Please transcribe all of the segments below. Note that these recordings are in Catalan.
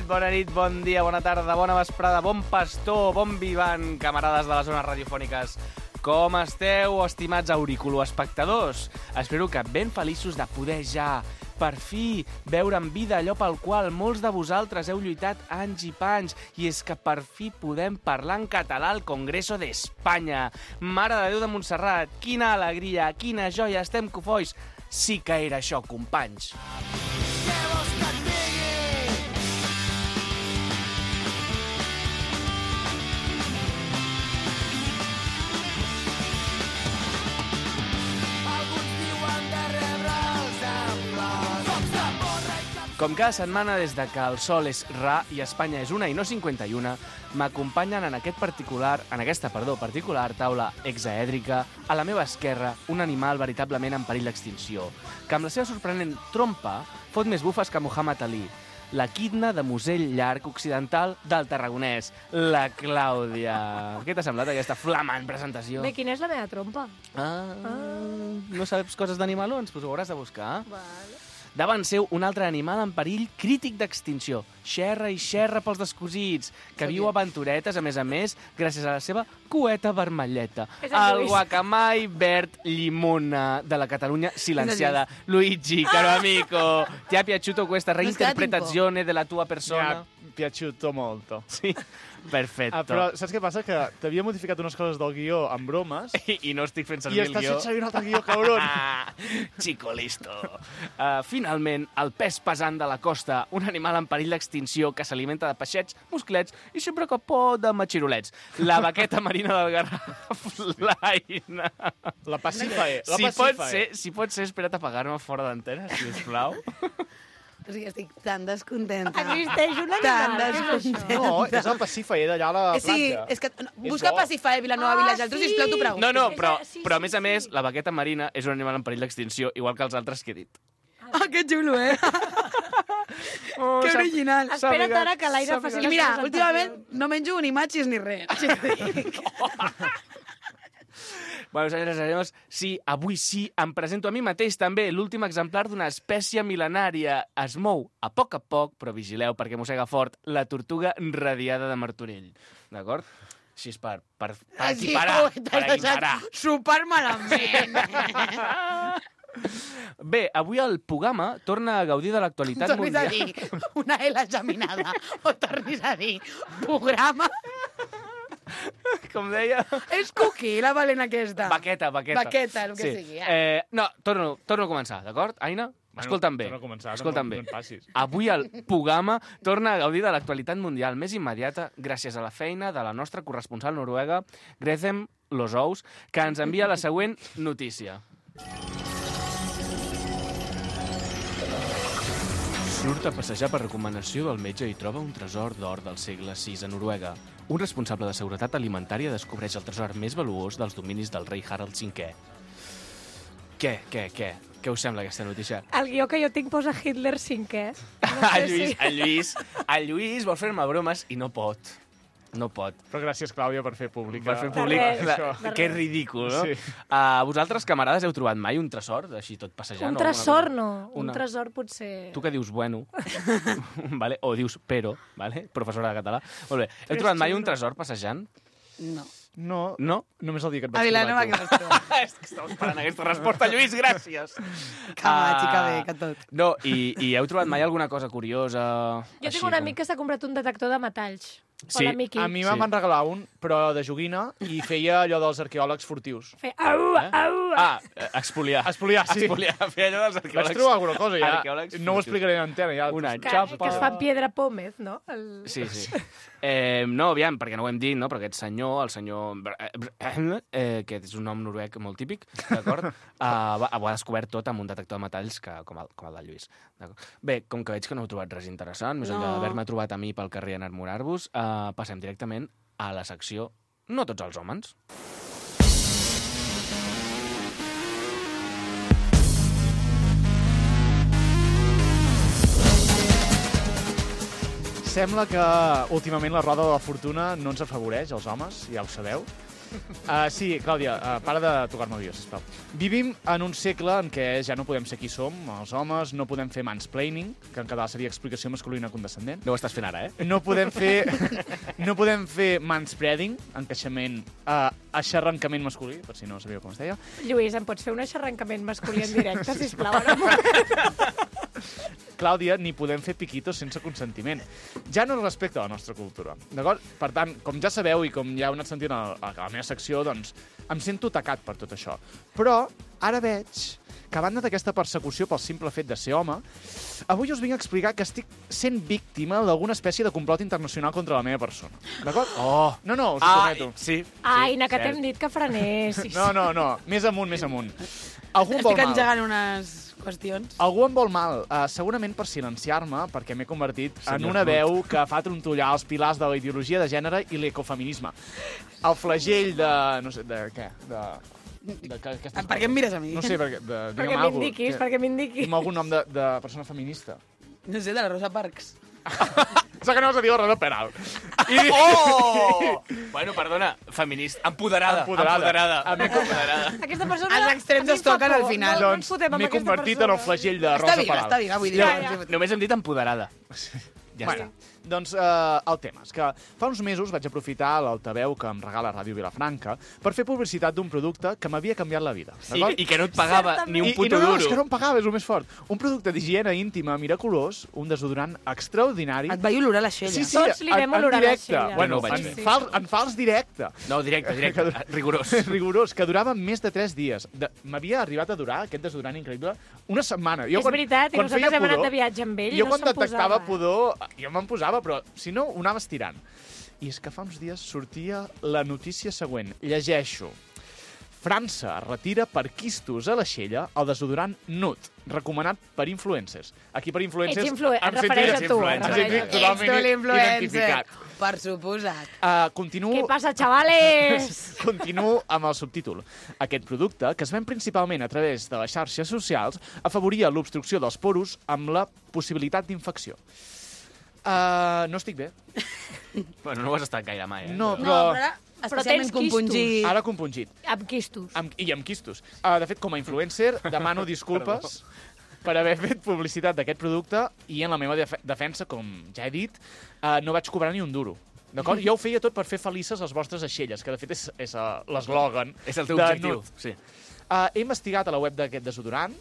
bona nit, bon dia, bona tarda, bona vesprada, bon pastor, bon vivant, camarades de les zones radiofòniques. Com esteu, estimats auriculoespectadors? Espero que ben feliços de poder ja, per fi, veure en vida allò pel qual molts de vosaltres heu lluitat anys i panys, i és que per fi podem parlar en català al Congreso d'Espanya. Mare de Déu de Montserrat, quina alegria, quina joia, estem cofois. Sí que era això, companys. Com cada setmana, des de que el sol és ra i Espanya és 1 i no 51, m'acompanyen en aquesta particular taula hexaèdrica, a la meva esquerra, un animal veritablement en perill d'extinció, que amb la seva sorprenent trompa fot més bufes que Muhammad Ali, la quidna de musell llarg occidental del Tarragonès, la Clàudia. Què t'ha semblat aquesta flamant presentació? Bé, quina és la meva trompa? No saps coses d'animalons? Doncs ho hauràs de buscar. Vale. Davant seu, un altre animal en perill crític d'extinció. Xerra i xerra pels descosits, que viu aventuretes, a més, gràcies a la seva cueta vermelleta. El guacamai verd llimona de la Catalunya silenciada. Luigi, caro amico, ti ha piaciuto questa reinterpretazione della tua persona? Mi ha piaciuto molto. Sí, perfetto. Però saps què passa? Que t'havia modificat unes coses del guió amb bromes i no estic fent servir el guió. I estàs fent servir un altre guió, cabron. Chico listo. Finalment, el pes pesant de la costa, un animal en perill d'extinció que s'alimenta de peixets, musclets i sempre que pot de matxirolets. La baqueta marina del Garraf, l'Aina. La Pacifae. Si pot ser, espera't a pagar-me fora d'antena, sisplau. O sigui, estic tan descontenta. Existeix un animal. No, és el Pacifae d'allà a la platja. Sí, és que busca Pacifae Vilanova Vilageltrú, sisplau, t'ho pregunto. No, però a més, la baqueta marina és un animal en perill d'extinció, igual que els altres que he dit. Que xulo, Que original. Espera't ara que l'aire faci la presentació. I mira, últimament no menjo ni machis ni res. Bueno, senyores i senyors, sí, avui sí, em presento a mi mateix també, l'últim exemplar d'una espècie mil·lenària. Es mou a poc, però vigileu, perquè mossega fort la tortuga radiada de Martorell. D'acord? Així és per equiparar. Super malament. Bé, avui el Pugama torna a gaudir de l'actualitat mundial. Tornis a dir una L geminada o tornis a dir programa. Com deia... És cookie, la valent aquesta. Baqueta. Baqueta, el que sigui. No, torno a començar, d'acord, Aina? Escolta'm bé. Escolta'm bé. Avui el Pugama torna a gaudir de l'actualitat mundial més immediata gràcies a la feina de la nostra corresponsal noruega, Grethem Losous, que ens envia la següent notícia. Surt a passejar per recomanació del metge i troba un tresor d'or del segle VI a Noruega. Un responsable de seguretat alimentària descobreix el tresor més valuós dels dominis del rei Harald V. Què us sembla aquesta notícia? El guió que jo tinc posa Hitler V. El Lluís vol fer-me bromes i no pot. No pot. Però gràcies, Clàudia, per fer públic. Que ridícul, no? Sí. Vosaltres, camarades, heu trobat mai un tresor, així tot passejant? Un tresor no. Un tresor potser... Tu que dius bueno, vale? O dius pero, vale? Professora de català. Molt bé. Heu trobat mai un tresor passejant? No. No? Només el dia que et vaig trobar. A Vilanova que vas trobar. És que estava esperant aquesta resposta, Lluís, gràcies. Que machi, que bé, que tot. No, i heu trobat mai alguna cosa curiosa? Jo tinc un amic que s'ha comprat un detector de metalls. Sí, a mi me'n van regalar un, però de joguina, i feia allò dels arqueòlegs furtius. Feia au. Expoliar. Expoliar, sí. Feia allò dels arqueòlegs. Vaig trobar alguna cosa, ja. No ho explicaré en antena, ja. Una xapa. Que es fa piedra pómez, no? Sí. No, aviam, perquè no ho hem dit, no? Però aquest senyor, el senyor... que és un nom noruec molt típic, d'acord? Ho ha descobert tot amb un detector de metalls com el del Lluís. Bé, com que veig que no heu trobat res interessant, més enllà d'haver-me trobat a mi pel carrer a enamorar-vos, passem directament a la secció No tots els homes. Sembla que últimament la roda de la fortuna no ens afavoreix, els homes, ja ho sabeu. Sí, Clàudia, para de tocar-me el guió, sisplau. Vivim en un segle en què ja no podem ser qui som, els homes, no podem fer mansplaining, que en català seria explicació masculina condescendent. No ho estàs fent ara, No podem fer manspreading, encaixament, aixarrancament masculí, per si no sabíeu com es deia. Lluís, em pots fer un aixarrancament masculí en directe, sisplau? Clàudia, ni podem fer piquitos sense consentiment. Ja no respecta a la nostra cultura, d'acord? Per tant, com ja sabeu i com ja heu anat sentint a la meva secció, doncs em sento tacat per tot això. Però ara veig que a banda d'aquesta persecució pel simple fet de ser home, avui us vinc a explicar que estic sent víctima d'alguna espècie de complot internacional contra la meva persona. D'acord? Oh! No, us ho prometo. Sí. Ai, que t'hem dit que frenessis. No. Més amunt. Algú em vol Estic mal. engegant unes qüestions. Algú em vol mal, segurament per silenciar-me, perquè m'he convertit en una veu que fa trontollar els pilars de la ideologia de gènere i l'ecofeminisme. El flagell de... no sé, de què? Per què em mires a mi? No sé, perquè m'indiquis. Amb algun nom de persona feminista. No sé, de la Rosa Parks. Sóc que anaves a dir la Rosa Peral. Oh! Bueno, perdona, feminista. Empoderada. Aquesta persona... Els extrems es toquen al final. No ens fotem amb M'he aquesta convertit en el flagell de Rosa Peral. Està viva, vull dir. Ja. Només hem dit empoderada. Ja Bueno, doncs el tema és que fa uns mesos vaig aprofitar l'altaveu que em regala Ràdio Vilafranca per fer publicitat d'un producte que m'havia canviat la vida. I que no et pagava ni un I puto no, duro. és que no em pagava, és el més fort. Un producte d'higiene íntima miraculós, un desodorant extraordinari. Et vaig olorar l'aixella. Sí, Tots li vam en olorar directe. l'aixella. Bueno, No ho vaig en fals directe. No, directe. Rigorós. Rigorós, que durava més de 3 dies. M'havia arribat a durar, aquest desodorant increïble, una setmana. És veritat, i nosaltres hem anat de viatge amb ell i jo no quan se'n detectava posava. pudor, jo me'n posava, però si no, ho anaves tirant. I és que fa uns dies sortia la notícia següent. Llegeixo. França retira per quistos a l'aixella el desodorant Nude, recomanat per influencers. Aquí per influencers... Et refereix a tu. Totalment identificat. Per suposat. Continuo... Què passa, xavales? Continuo amb el subtítol. Aquest producte, que es ven principalment a través de les xarxes socials, afavoria l'obstrucció dels poros amb la possibilitat d'infecció. No estic bé. Bueno, no ho has estat gaire mai, No, No, però... però ara Però especialment tens quistos. compungit. Ara compungit. Amb quistos. I amb quistos. De fet, com a influencer, demano disculpes per haver fet publicitat d'aquest producte i en la meva defensa, com ja he dit, no vaig cobrar ni un duro. D'acord? Jo ho feia tot per fer felices les vostres aixelles, que de fet és l'eslògan. És el teu de objectiu. Nude. Sí. He investigat a la web d'aquest desodorant.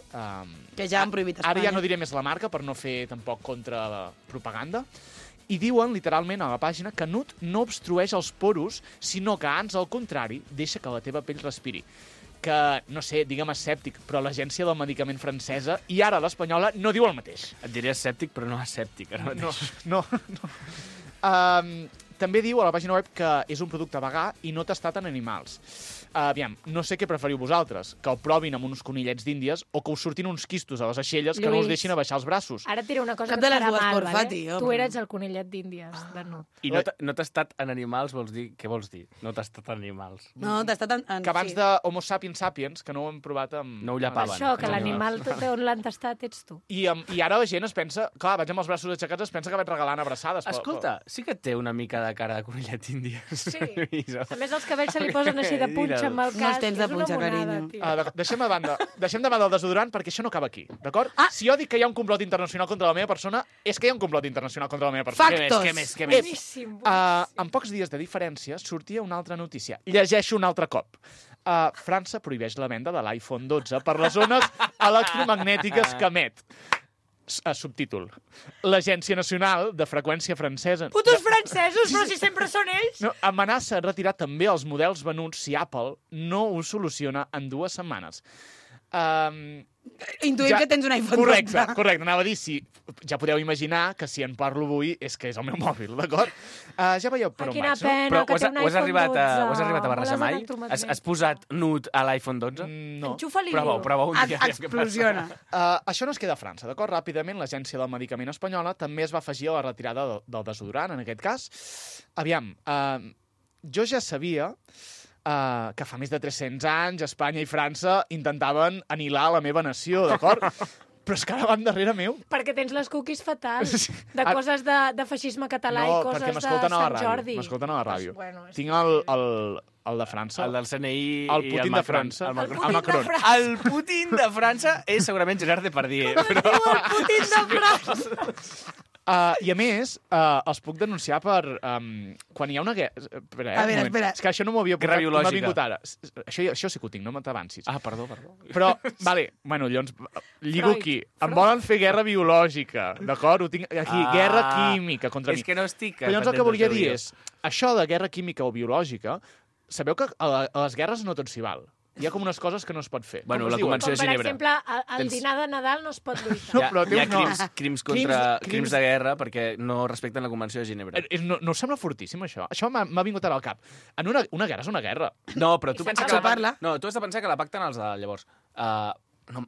Que ja han prohibit a Ara ja Espanya. no diré més la marca per no fer tampoc contrapropaganda. I diuen, literalment, a la pàgina, que Nude no obstrueix els poros, sinó que, ans al contrari, deixa que la teva pell respiri. Que, no sé, digue'm escèptic, però l'Agència del Medicament francesa i ara l'espanyola no diu el mateix. Et diré escèptic, però no escèptic. No. També diu a la pàgina web que és un producte vegà i no testat en animals. Aviam, no sé què preferiu vosaltres, que el provin amb uns conillets d'Índies o que us surtin uns quistos a les aixelles que no us deixin abaixar els braços. Ara et diré una cosa Cap que de et les farà dues, mal, porfa, vale? tio. Tu eres el conillet d'Índies de Nude. I no t'ha estat en animals, vols dir... Què vols dir? No t'ha estat en animals. No, t'ha estat en... Que abans de Homo sapiens sapiens, que no ho hem provat amb... No ho llapaven. Això, que Els l'animal on l'han tastat ets tu. I ara la gent es pensa... Clar, vaig amb els braços aixecats, es pensa que vaig regalant abraçades. Escolta, sí que té una mica de cara de conillet índia. Sí. A més, els cabells se li posen així de punxa amb el No els cas. tens de És una punxa, monada, carinyo. tio. Deixem de banda el desodorant perquè això no acaba aquí, d'acord? Si jo dic que hi ha un complot internacional contra la meva persona, és que hi ha un complot internacional contra la meva persona. Factos. Què més? Boníssim, boníssim. En pocs dies de diferència sortia una altra notícia. Llegeixo un altre cop. França prohibeix la venda de l'iPhone 12 per les zones electromagnètiques que emet. Subtítol. L'Agència Nacional de Freqüència Francesa... Putos francesos, però si sempre són ells! No, amenaça retirar també els models venuts si Apple no ho soluciona en 2 setmanes. Intuïm que tens un iPhone 12. Correcte. Anava a dir, ja podeu imaginar que si en parlo avui és que és el meu mòbil, d'acord? Ja veieu per on Quina vaig, no? pena Però que té un ho has iPhone arribat 12. ho has arribat a barrejar Boles mai? electromagnètiques. Has posat Nude a l'iPhone 12? No. Enxufa-li. Prova un dia. Explosiona. Això no es queda a França, d'acord? Ràpidament, l'Agència del Medicament espanyola també es va afegir a la retirada del desodorant, en aquest cas. Aviam, jo ja sabia que fa més de 300 anys Espanya i França intentaven anihilar la meva nació, d'acord? Però és que ara van darrere meu. Perquè tens les cookies fatals, Sí. de coses de feixisme català i coses perquè de m'escolten a la Sant ràdio. Jordi. M'escolten a la ràdio. Bueno, és Tinc el de França. El del CNI El i Putin el de Macron. França. El Macron. El Putin de França. El Putin de França és segurament Gerard Depardieu. Diu el Putin de França. I a més, els puc denunciar per... quan hi ha una guerra... Espera, A veure, un moment. espera. És que això no m'ho havia Guerra portat, no m'ha biològica. vingut ara. Això sí que ho tinc, no t'avancis. Ah, perdó. Però, vale, bueno, llavors, lligo Freud. aquí. Em volen fer guerra biològica, d'acord? Ho tinc aquí, guerra química contra mi. És que no estic... Però llavors el que volia dir és, això de guerra química o biològica, sabeu que a les guerres no tot s'hi val. Hi ha com unes coses que no es pot fer. Bueno, Com es la diuen? convenció Com, de per Ginebra. exemple, al Tens- dinar de Nadal no es pot lluitar. No, Hi ha, però té hi ha un nom. crims de guerra perquè no respecten la Convenció de Ginebra. No us sembla fortíssim, això? Això m'ha vingut ara al cap. En una guerra és una guerra. No, però tu I pensa sense que... parla. No, tu has de pensar que la pacten els de llavors. No,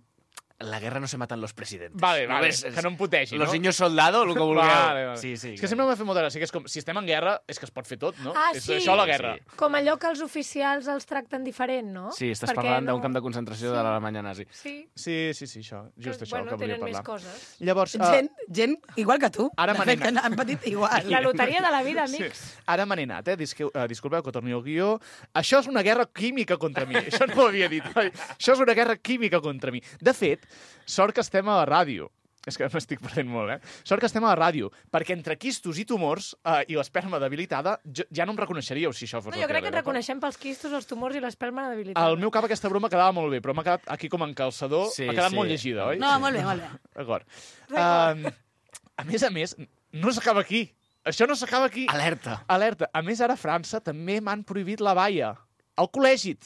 la guerra no se matan los presidentes. Vale, No vale, ves, que no em putegi, Los no? niños soldado, el que vulgueu. Vale. Sí. És que sempre m'ha fet molta gràcia, que és com, si estem en guerra, és que es pot fer tot, no? Ah, És sí. això la guerra. Sí. Com allò que els oficials els tracten diferent, no? Sí, estàs Perquè parlant no- d'un camp de concentració de l'Alemanya nazi. Sí, Sí, això. Just això, bueno, que volia tenen més parlar. coses. Llavors, Gent igual que tu. Ara De me fet, n'he anat. han patit igual. La loteria de la vida, amics. ara me n'he anat, disculpeu que torni al guió. Això és una guerra química contra mi. Això no ho havia dit. Això és una guerra química contra mi. De fet, sort que estem a la ràdio. És que m'estic perdent molt, Sort que estem a la ràdio, perquè entre quistos i tumors i l'esperma debilitada, ja no em reconeixeríeu si això fos No, la jo crec tele, que et d'acord? reconeixem pels quistos, els tumors i l'espelma debilitada. Al meu cap aquesta broma quedava molt bé, però m'ha quedat aquí com en calçador, Sí, m'ha quedat sí. molt llegida, oi? No, molt bé, molt bé. D'acord. A més, no s'acaba aquí. Això no s'acaba aquí. Alerta. Alerta. A més, ara a França també m'han prohibit la balla. Al col·legi.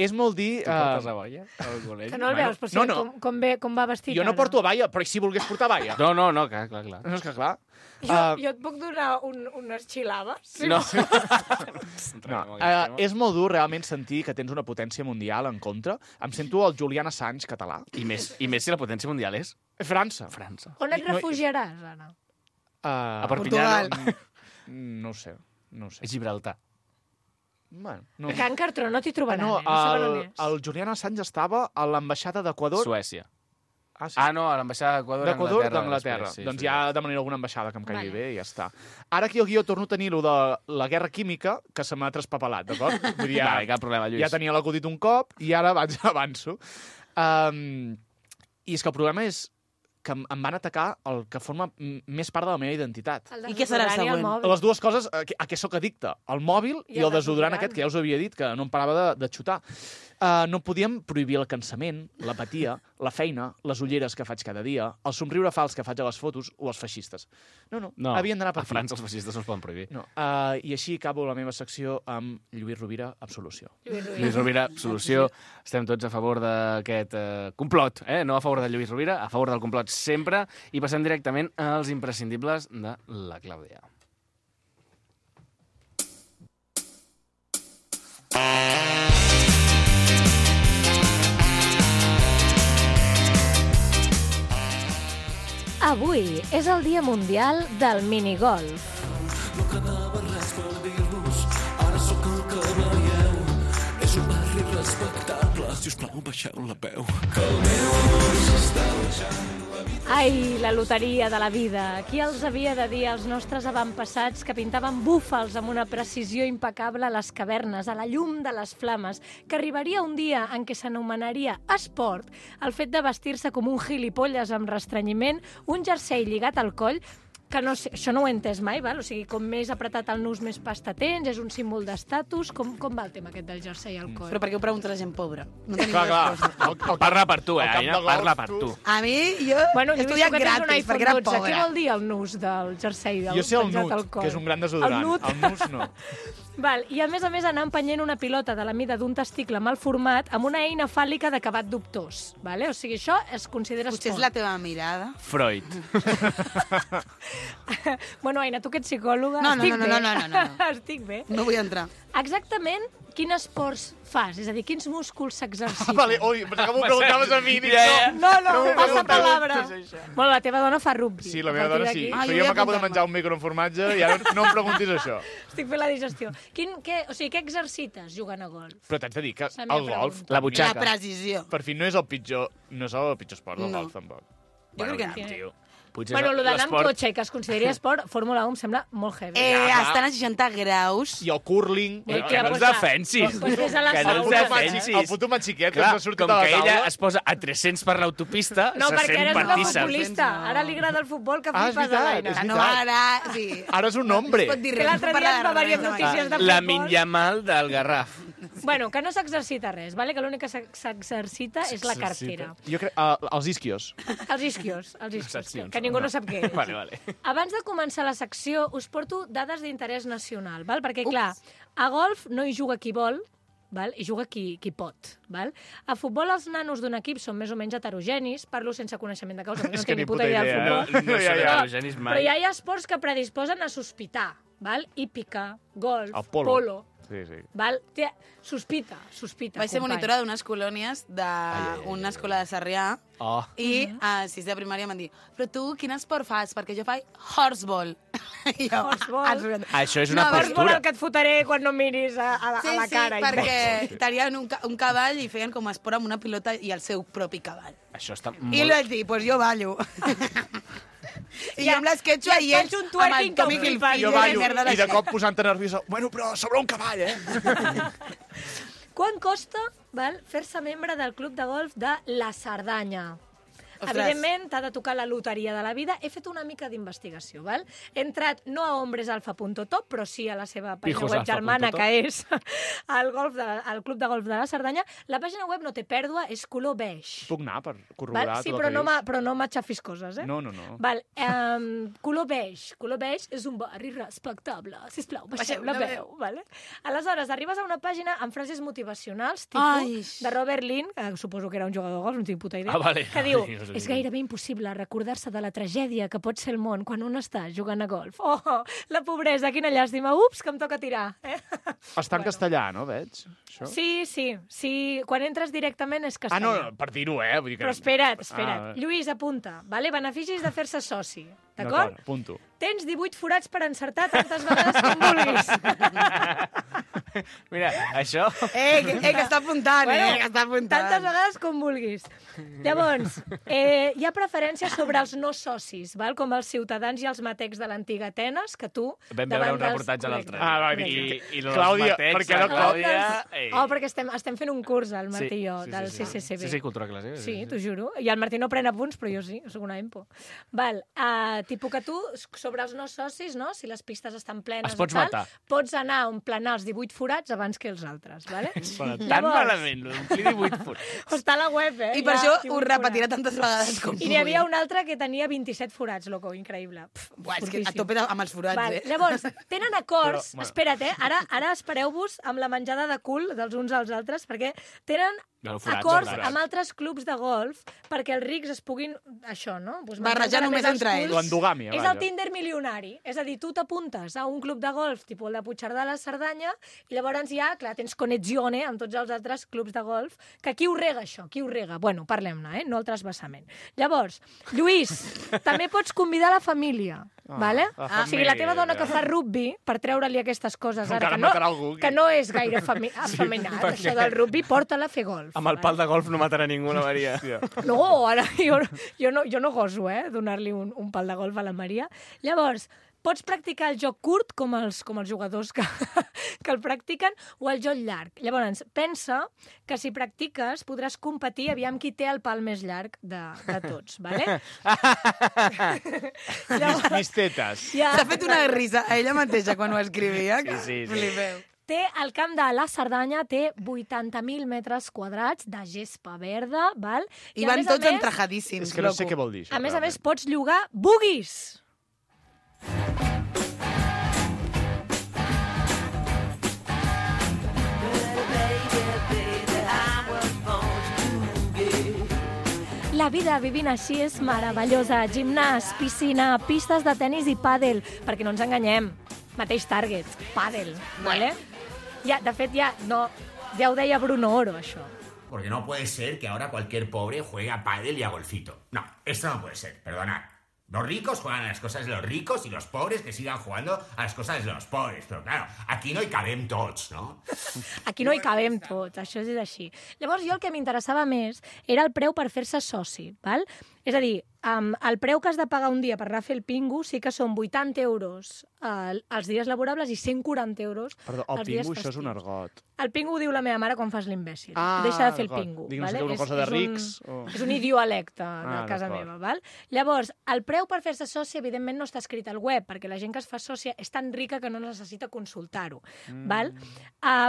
És molt dir... Tu portes a boia al col·legi? Que no el veus, però sí, no. com va vestit Jo no ara. porto balla, però i si volgués portar balla? No, clar. No, és que clar. Jo et puc donar unes xilades? Sí. No. No. És molt dur realment sentir que tens una potència mundial en contra. Em sento el Julian Assange català. I més si la potència mundial és França. França. On et No- refugiaràs, Anna? A Perpinyà, Portugal. No ho sé. A Gibraltar. Bueno, no. A Can Cartró no t'hi trobaran, No, no saben on és. el Julian Assange estava a l'ambaixada d'Equador. Suècia. Ah, sí. Ah, no, a l'ambaixada d'Equador D'Equador d'Anglaterra. després, Doncs sí. ja demanaré alguna ambaixada que em caigui Vale. bé i ja està. Ara aquí al guió torno a tenir lo de la guerra química, que se m'ha traspapelat, d'acord? Vull dir, Vale, cap problema, Lluís. ja tenia l'acudit un cop i ara avanço. I és que el problema és que em van atacar el que forma més part de la meva identitat. I què serà el desodorant i següent? mòbil. Les dues coses a què sóc addicte, el mòbil i el desodorant aquest, que ja us havia dit, que no em parava de xutar. No podíem prohibir el cansament, l'apatia, la feina, les ulleres que faig cada dia, el somriure fals que faig a les fotos o els feixistes. No, havien d'anar per a França els feixistes no es poden prohibir. No. I així acabo la meva secció amb Lluís Rovira, Absolució. Lluís Rovira, solució. Estem tots a favor d'aquest complot, no a favor de Lluís Rovira, a favor del complot sempre, i passem directament als imprescindibles de la Clàudia. Avui és el Dia Mundial del Minigolf. No quedava res per dir-vos, ara sóc el que veieu. És un barri respectable, si us plau, baixeu la peu. Que el meu amor s'està deixant la vida. Ai, la loteria de la vida. Qui els havia de dir als nostres avantpassats que pintaven búfals amb una precisió impecable a les cavernes, a la llum de les flames, que arribaria un dia en què s'anomenaria esport el fet de vestir-se com un gilipolles amb restrenyiment, un jersei lligat al coll, que no sé, això no ho he entès mai, val? O sigui, com més apretat el nus, més pasta tens, és un símbol d'estatus. Com va el tema aquest del jersei al coll? Però per què ho pregunta la gent pobra? No tenim Clar. resposta. Parla per tu, el camp Aina, de golf, parla per tu. tu. A mi, jo Bueno, he Lluís, estudiat tu que tens un gratis, iPhone perquè era 12, què pobra. vol dir el nus del jersei? Jo sé el penjat nut, al coll? que és un gran desodorant. El nut. El nus no. Val, i a més anar empenyent una pilota de la mida d'un testicle mal format amb una eina fàl·lica d'acabat dubtós. Vale? O sigui, això es considera Potser és esport. la teva mirada. Freud. Bueno, Aina, tu que ets psicòloga, No, estic bé. no. Estic bé. No vull entrar. Exactament quin esports fas? És a dir, quins músculs s'exerciten? Vale, ui, pensava que m'ho preguntaves a mi. Dic, No, passa preguntes. palabra. Bueno, la teva dona fa rugby. Sí, la A meva partir dona sí. d'aquí Però jo m'acabo de menjar un micro amb formatge i ara no em preguntis això. Estic fent la digestió. Què exercites jugant a golf? Però t'haig de dir que La meva el golf... pregunta. La La butxaca. precisió. Per fi no és el pitjor esport del No. golf, tampoc. Jo crec que no. Tio, potser Bueno, és el d'anar amb l'esport- cotxe i que es consideri esport, Fórmula 1 em sembla molt heavy. Estan a 60 graus. I el curling... Que no pues ens va. defensis. Pues vés a la Que no ens sauna. defensis. El puto matxiquet que Clar, ens ha sortit com a la que ella taula... es posa a 300 per l'autopista, No, se perquè sent ara és una partíssim. futbolista. Ara li agrada el futbol que Ah, és flipes a veritat, l'Aina. és Que no veritat. ara... Sí. Ara és un hombre. No es pot dir Que res, l'altre no dia parla ens va de venir res, notícies de La futbol. Minyamal del Garraf. Bueno, que no s'exercita res, vale? Que l'únic que s'exercita és la cartera. Jo crec... els isquios. Els isquios, Seccions, que ningú no sap què és. Vale. Abans de començar la secció, us porto dades d'interès nacional, val? Perquè, clar, a golf no hi juga qui vol, val? Hi juga qui pot. Val? A futbol els nanos d'un equip són més o menys heterogenis, parlo sense coneixement de causa, perquè no És que tinc ni ni puta puta idea del idea, futbol. No són Ja. heterogenis Però mai. ja hi ha esports que predisposen a sospitar, val? Hípica, golf, El polo. Sí, sí. val? Sospita, Vaig ser company. monitora d'unes colònies d'una escola de Sarrià Oh. i a 6 de primària m'han dit però tu quin esport fas? Perquè jo faig horseball. I jo, Horseball? Això és una No, Vols veure postura. el que et fotré quan no em miris a Sí, la cara? sí, perquè tenien un cavall i feien com esport amb una pilota i el seu propi cavall. Això està I molt... li vaig dir, pues jo ballo. I jo amb l'esquetxo i ells faig un amb el twerking Tommy que Hilfiger. Jo i la ballo, merda i de cop posant-te nerviosa. Bueno, però sobre un cavall, eh? Quan costa fer-se membre del club de golf de la Cerdanya? Ostres. Evidentment, t'ha de tocar la loteria de la vida. He fet una mica d'investigació, val? He entrat no a hombresalfa.top, però sí a la seva pàgina web Pijosalfa.top. germana, que és el club de golf de la Cerdanya. La pàgina web no té pèrdua, és color beix. Puc anar per corroborar Val? Sí, tot però el que dius? però no m'aixafis coses, eh? No. Val, color beix. Color beix és un barri respectable. Sisplau, baixeu la veu. Vale? Aleshores, arribes a una pàgina amb frases motivacionals, Ai. tipus de Robert Lynn, que suposo que era un jugador de golf, no tinc puta idea, Ah, vale. que diu, Ai, no sé és si- gairebé impossible recordar-se de la tragèdia que pot ser el món quan un està jugant a golf. Oh, la pobresa, quina llàstima. Ups, que em toca tirar. Està en castellà, no, veig? Això? Sí. Quan entres directament és Ah, castellà. no, per dir-ho, Vull dir que... Però espera't. Ah, Lluís, apunta. Vale? Beneficis de fer-se soci. D'acord? Apunto. Tens 18 forats per encertar tantes vegades com vulguis. Mira, això... Que està apuntant, que està apuntant. Tantes vegades com vulguis. Llavors, hi ha preferències sobre els no socis, val? Com els ciutadans i els matecs de l'antiga Atenes, que tu... Vam veure davant un dels- reportatge l'altre Correcte. dia. va, I los Clàudia, matecs, perquè la no- Clàudia... Oh, perquè estem fent un curs, el Martí i jo, del CCCB. Sí, cultura clàssica. Sí, t'ho juro. I el Martí no pren apunts, però jo sí, soc una empo. Val, tipus que tu, sobre els no socis, no? Si les pistes estan plenes Es pots i tal, matar. pots anar a emplenar els 18 forats abans que els altres, vale? Tan malament, omplir 18 punts. Està a la web, I per això ho 18 repetirà forats. tantes vegades com I n'hi havia un altre que tenia 27 forats, loco, increïble. Buah, és que a fortíssim. tope amb els forats, Val, eh? llavors, tenen acords... Però, bueno. Espera't, ara espereu-vos amb la menjada de cul dels uns als altres, perquè tenen No, forats, acords forats. amb altres clubs de golf perquè els rics es puguin, això, no? Pues Barrejar menjar només els entre culs. ells. L'endogàmia, És vaja. el Tinder milionari. És a dir, tu t'apuntes a un club de golf, tipus el de Puigcerdà a la Cerdanya, i llavors ja, clar, tens connexione amb tots els altres clubs de golf, que qui ho rega, això? Qui ho rega? Bueno, parlem-ne, no el trasbassament. Llavors, Lluís, també pots convidar la família, vale? la O sigui, la teva dona família. que fa rugby, per treure-li aquestes coses ara, Encara matarà algú. que no és gaire afeminat, això del rugby, porta-la a fer golf. Amb el pal de golf no matarà ningú, la Maria. No, ara jo no goso, donar-li un pal de golf a la Maria. Llavors, pots practicar el joc curt, com els jugadors que el practiquen, o el joc llarg. Llavors, pensa que si practiques podràs competir aviam qui té el pal més llarg de tots, vale? Mis tetes. Ja, S'ha fet una risa a ella mateixa quan ho escrivia. Sí. Flipeu. té el camp de la Cerdanya, té 80.000 metres quadrats de gespa verda, val? I a van més a tots més, entrajadíssims, És que no sé què vol dir, això. A més, realment. pots llogar buggies. La vida vivint així és meravellosa. Gimnàs, piscina, pistes de tennis i pàdel. Perquè no ens enganyem. Mateix target, pàdel, vale? Ja, de fet, ja ho deia Bruno Oro, això. Porque no puede ser que ahora cualquier pobre juegue a pádel y a golfito. No, esto no puede ser, perdonad. Los ricos juegan a las cosas de los ricos y los pobres que sigan jugando a las cosas de los pobres. Pero claro, aquí no hi cabem tots, no? Aquí no hi cabem tots, això és així. Llavors, jo el que m'interessava més era el preu per fer-se soci, val? És a dir, el preu que has de pagar un dia per anar a fer el pingu sí que són 80 euros els dies laborables i 140 euros Perdó, els dies pingu, festius. això és un argot. El pingu ho diu la meva mare quan fas l'imbècil. Ah, Deixa de fer el d'acord. pingu. Dic, no sé què, una cosa de rics, o- És un idiolecte de casa d'acord. meva, val? Llavors, el preu per fer-se soci, evidentment, no està escrit al web, perquè la gent que es fa sòcia és tan rica que no necessita consultar-ho, val?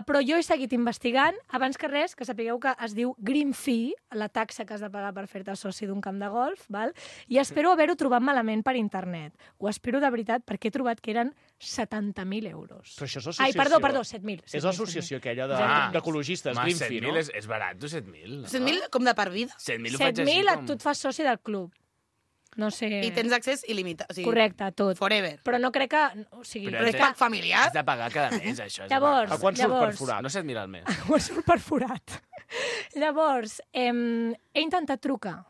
Però jo he seguit investigant, abans que res, que sapigueu que es diu green fee, la taxa que has de pagar per fer-te soci d'un camp de golf, val? I espero haver-ho trobat malament per internet. Ho espero de veritat perquè he trobat que eren 70.000 euros. Però això és l'associació. Ai, perdó, 7.000. És l'associació aquella d'ecologistes, Home, Greenfee, 7.000 no? és barat, tu, 7.000. No? 100.000 com de per vida. 7.000 ho faig així 7.000 com... tu et fas soci del club. No sé... I tens accés il·limitat. O sigui, Correcte, a tot. Forever. Però no crec que... O sigui, Però Però és que familiar... Has de pagar cada mes, això. Llavors, A quan surt per forat? No 7.000 al mes. Ho surt perforat. Llavors, he intentat trucar,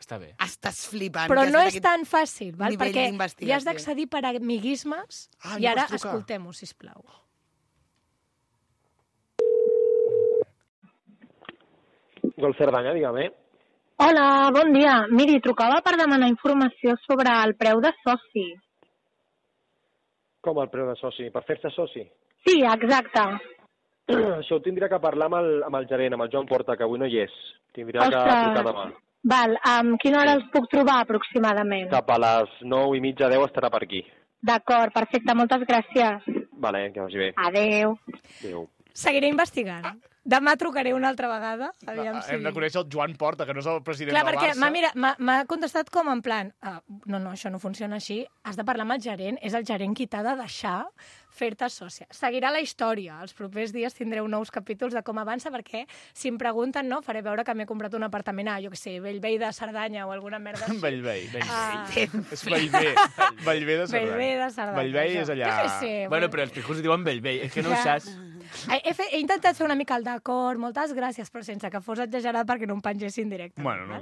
Està bé. Estàs flipant. però que has no fet és aquest tan fàcil, val? nivell Perquè d'investigació. hi has d'accedir per amiguismes Ah, i no ara pots trucar. escoltem-ho, sisplau. Gol Cerdanya, dígame. Hola, bon dia. Miri, trucava per demanar informació sobre el preu de soci. Com el preu de soci? Per fer-se soci? Sí, exacte. Això ho tindria que parlar amb el gerent, amb el Joan Porta, que avui no hi és. Tindria que Ostres. trucar demà. Val, quina hora els puc trobar aproximadament? Cap a les 9:30, 10 estarà per aquí. D'acord, perfecte, moltes gràcies. Vale, que vagi bé. Adeu. Adéu. Seguiré investigant. Demà trucaré una altra vegada. Aviam si... Hem de conèixer el Joan Porta, que no és el president Clar, del perquè Barça. m'ha contestat com en plan no, això no funciona així, has de parlar amb el gerent, és el gerent qui t'ha de deixar fer-te sòcia. Seguirà la història, els propers dies tindreu nous capítols de com avança, perquè si em pregunten, no, faré veure que m'he comprat un apartament a, jo què sé, Bellvei de Cerdanya o alguna merda així. Bellvei. Ah, És Bellvei. Bellvei de Cerdanya. Bellvei de Cerdanya. Bellvei això. és allà... Jo què sé, Bueno, però els pijos diuen Bellvei, és que no ho Clar. saps. He intentat fer una mica el d'acord, moltes gràcies, però sense que fos exagerat perquè no em pengessin directament. Bueno, no.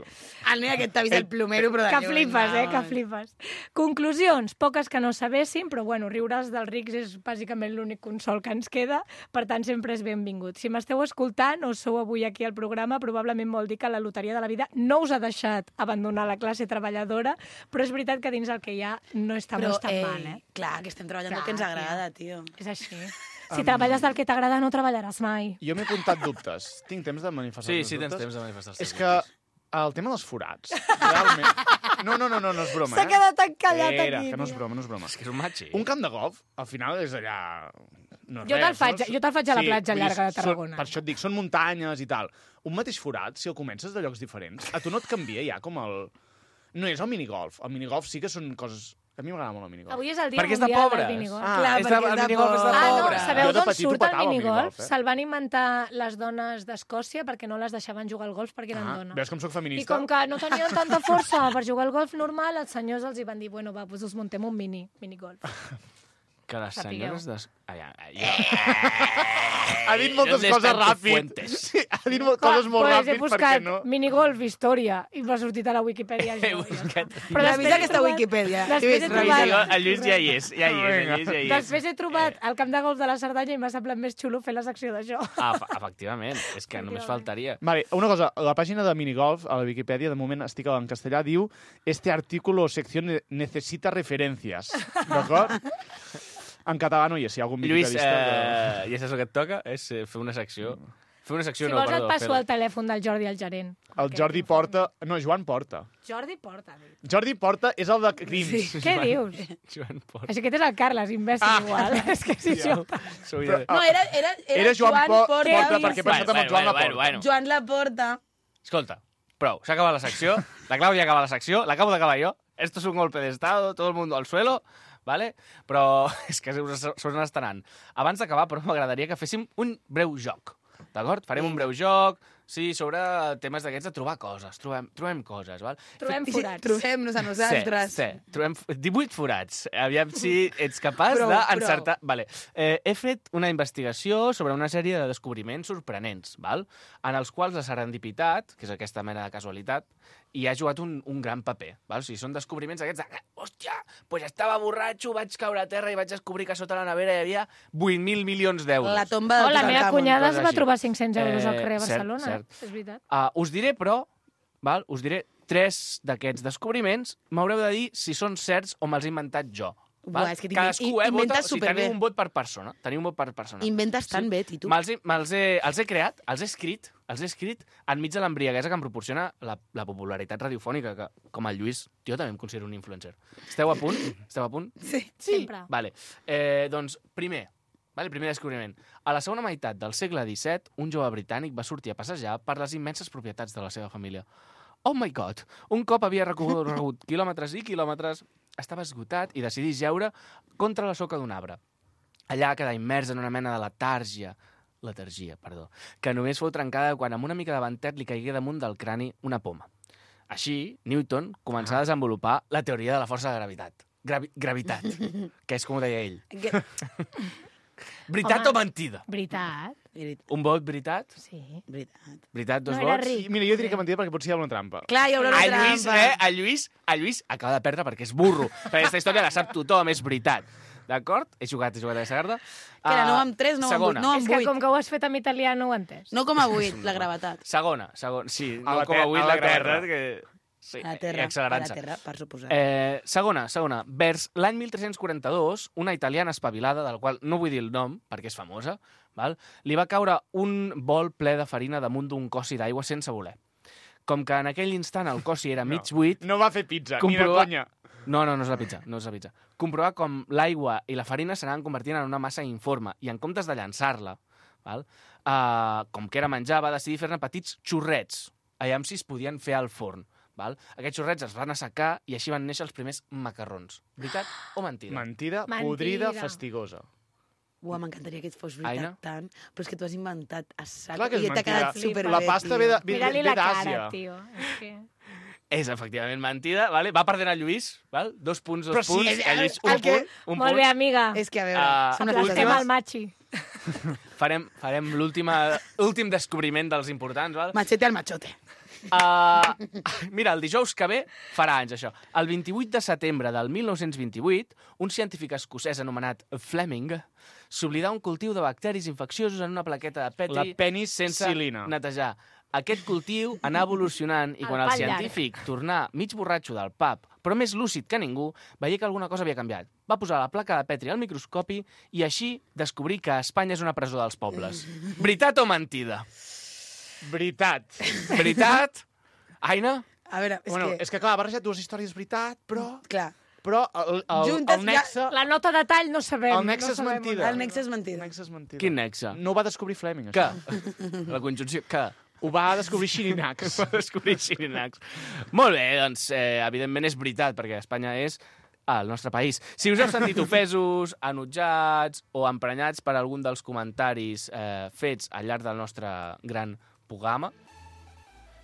El nen aquest t'ha vist el plomero, però de Que lluny, flipes, no. que flipes. Conclusions, poques que no sabéssim, però bueno, riure's dels rics és bàsicament l'únic consol que ens queda, per tant sempre és benvingut. Si m'esteu escoltant o sou avui aquí al programa, probablement vol dir que la loteria de la vida no us ha deixat abandonar la classe treballadora, però és veritat que dins el que hi ha no està Però, molt tan mal, eh? clar, que estem treballant Clar, el que ens tia. agrada, tio. És així. Si treballes del que t'agrada, no treballaràs mai. Jo m'he apuntat dubtes. Tinc temps de manifestar Sí, els sí, tens dubtes? temps de manifestar els És teus que dubtes. el tema dels forats, realment... No és broma, S'ha quedat encallat Espera, aquí, que no és tio. broma, no és broma. És que és un matxi. Un camp de golf, al final, és allà... No és Jo te'l res, faig- no? jo te'l faig a la platja vull dir, llarga de Tarragona. Per això et dic, són muntanyes i tal. Un mateix forat, si el comences de llocs diferents, a tu no et canvia ja com el... No és el minigolf. El minigolf sí que són coses... A mi m'agrada molt el minigolf. Avui és el dia Perquè és de mundial pobres. del minigolf. Ah, Clar, és de, perquè és el de minigolf és de Ah, no, pobre. sabeu Jo de d'on petit ho surt el petava, el minigolf? minigolf, eh? Se'l van inventar les dones d'Escòcia perquè no les deixaven jugar al golf perquè eren dones. Veus com sóc I feminista? com que no tenien tanta força per jugar al golf normal, els senyors els hi van dir, bueno, va, doncs us muntem un minigolf. Que les Sapigueu. senyores... Ha dit moltes coses ràpid. Sí, ha dit coses molt He ràpid perquè buscat no... minigolf, història, i m'ha sortit a la Wikipedia. He Això, ja buscat... està. Però Revisa després he aquesta trobat- Wikipedia. Després he trobat... El Lluís ja hi és, ja hi és, el Lluís ja hi és. Després he trobat el camp de golf de la Cerdanya i m'ha semblat més xulo fer la secció d'això. Ah, efectivament, és que només faltaria. Vale, una cosa, la pàgina de minigolf, a la Wikipedia, de moment estic en castellà, diu este artículo o sección necesita referencias. D'acord? En català no hi és, si hi ha algun Lluís, wikipedista... ja saps el que et toca? És fer una secció. Fer una secció, Si no, vols et perdó. passo el telèfon del Jordi, el gerent. El Jordi Porta... No, Joan Porta. Jordi Porta, ha dit. Jordi Porta és el de Crims. Què dius? Joan Porta. Així que aquest és el Carles, imbècil, igual. És que és idiota. No, era Joan Porta, Què perquè pensat amb el Joan Laporta. Joan Laporta. Escolta, prou, s'ha acabat la secció, la Clàudia acaba la secció, l'acabo d'acabar jo, esto es un golpe de estado, todo el mundo al suelo, ¿vale? Però és que se n'estan anant. Abans d'acabar, però m'agradaria que féssim un breu joc, d'acord? Farem un breu joc, Sí, sobre temes d'aquests de trobar coses. Trobem coses, val? Trobem forats. Trobem-nos a nosaltres. Sí, trobem 18 forats. Aviam si ets capaç Prou, d'encertar. Vale. He fet una investigació sobre una sèrie de descobriments sorprenents, val? En els quals la serendipitat, que és aquesta mena de casualitat, hi ha jugat un gran paper. Val? O sigui, són descobriments aquests de... Hòstia, pues estava borratxo, vaig caure a terra i vaig descobrir que sota la nevera hi havia 8.000 milions d'euros. La tomba del La meva Tutankamon. cunyada es coses va així. trobar 500 euros al carrer de Cert, Barcelona. cert. És veritat. Us diré, però, val? Us diré 3 d'aquests descobriments. M'haureu de dir si són certs o me'ls he inventat jo. Val? Buah, és que Cadascú, inventes vota, o sigui, superbé. teniu un vot per persona. Teniu un vot per persona. Inventes tan bé, Tito. Els he creat, els he escrit enmig de l'embriaguesa que em proporciona la popularitat radiofònica, que, com el Lluís, jo també em considero un influencer. Esteu a punt? Esteu a punt? Sí. Sempre. Vale. Doncs, primer descobriment. A la segona meitat del segle XVII, un jove britànic va sortir a passejar per les immenses propietats de la seva família. Oh my god! Un cop havia recorregut quilòmetres i quilòmetres, estava esgotat i decidí jeure contra la soca d'un arbre. Allà quedà immers en una mena de letargia, que només fou trencada quan amb una mica de ventet li caigué damunt del crani una poma. Així, Newton començà a desenvolupar la teoria de la força de gravitat. Gravitat, que és com ho deia ell. Veritat o mentida? Veritat. Un vot, veritat? Sí. Veritat, 2 No era vots? ric. Mira, jo diria que mentida perquè potser hi ha una trampa. Clar, hi haurà una trampa. El Lluís acaba de perdre perquè és burro. Perquè aquesta història la sap tothom, és veritat. D'acord? He jugat a aquesta carta. Que era 9 amb 3, 9 amb 8, 9 És amb que 8. com que ho has fet en italià no ho he entès. 9,8, la gravetat. Segona. Sí, A la 9,8 la terra. gravetat. Que... Sí, A la terra, accelerant-se. per suposar. Segona. Vers l'any 1342, una italiana espavilada, del qual no vull dir el nom, perquè és famosa, val? Li va caure un bol ple de farina damunt d'un cossi d'aigua sense voler. Com que en aquell instant el cossi era mig buit... No va fer pizza, ni de Comprovar- conya. No és la pizza. Comprovar com l'aigua i la farina s'anaven convertint en una massa informe i en comptes de llançar-la, val? Com que era menjar, va decidir fer-ne petits xurrets, allà si es podien fer al forn. Val? Aquests xurrets es van assecar i així van néixer els primers macarrons. Veritat o mentida? Mentida, Mentida. podrida, fastigosa. Uah, m'encantaria que et fos Aina? veritat tant, però és que tu has inventat a sac Clar que és i t'ha mentida. quedat superbé, La pasta ve Mira-li la cara, d'Àsia. tio. És que... És efectivament mentida, vale? Va perdent el Lluís, val? 2 punts, 2 Però sí, punts. és- El Lluís, el un que- punt, un Molt punt. bé, amiga. És que, a veure, són Estem últimes- al machi. Farem l'últim descobriment dels importants, val? Machete al machote. Mira, el dijous que ve farà anys, això. El 28 de setembre del 1928, un científic escocès anomenat Fleming s'oblidà un cultiu de bacteris infecciosos en una plaqueta de Petri La penicil·lina. sense netejar. Aquest cultiu anà evolucionant i El quan el pal llarg. científic tornà mig borratxo del pub, però més lúcid que ningú, veia que alguna cosa havia canviat. Va posar la placa de Petri al microscopi i així descobrir que Espanya és una presó dels pobles. Veritat o mentida? Veritat. Veritat? Aina? A veure, És que clar, ha barrejat dues històries veritat, però Clar, el nexe... La nota de tall no sabem. El nexe no és sabem mentida. el nexe és mentida. El nexe és mentida. Quin nexe? No ho va descobrir Fleming, Que? això. La conjunció... Que? Ho va descobrir Xirinacs. Va descobrir Xirinacs. Molt bé, doncs, evidentment és veritat, perquè Espanya és el nostre país. Si us heu sentit ofesos, enutjats o emprenyats per algun dels comentaris fets al llarg del nostre gran programa,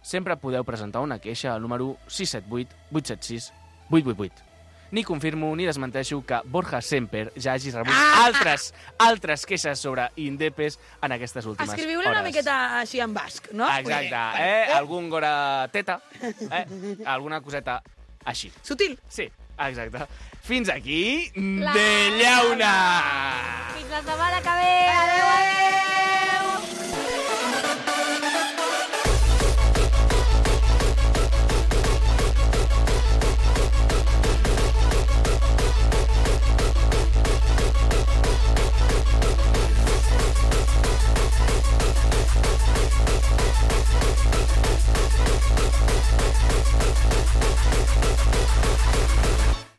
sempre podeu presentar una queixa al número 678-876-888. Ni confirmo ni desmenteixo que Borja Semper ja hagi rebut altres queixes sobre Indepes en aquestes últimes Escriviu-li hores. una miqueta així en basc, no? Exacte, algun gora teta, alguna coseta així. Sutil. Sí, exacte. Fins aquí, La de llauna! Fins la setmana que ve!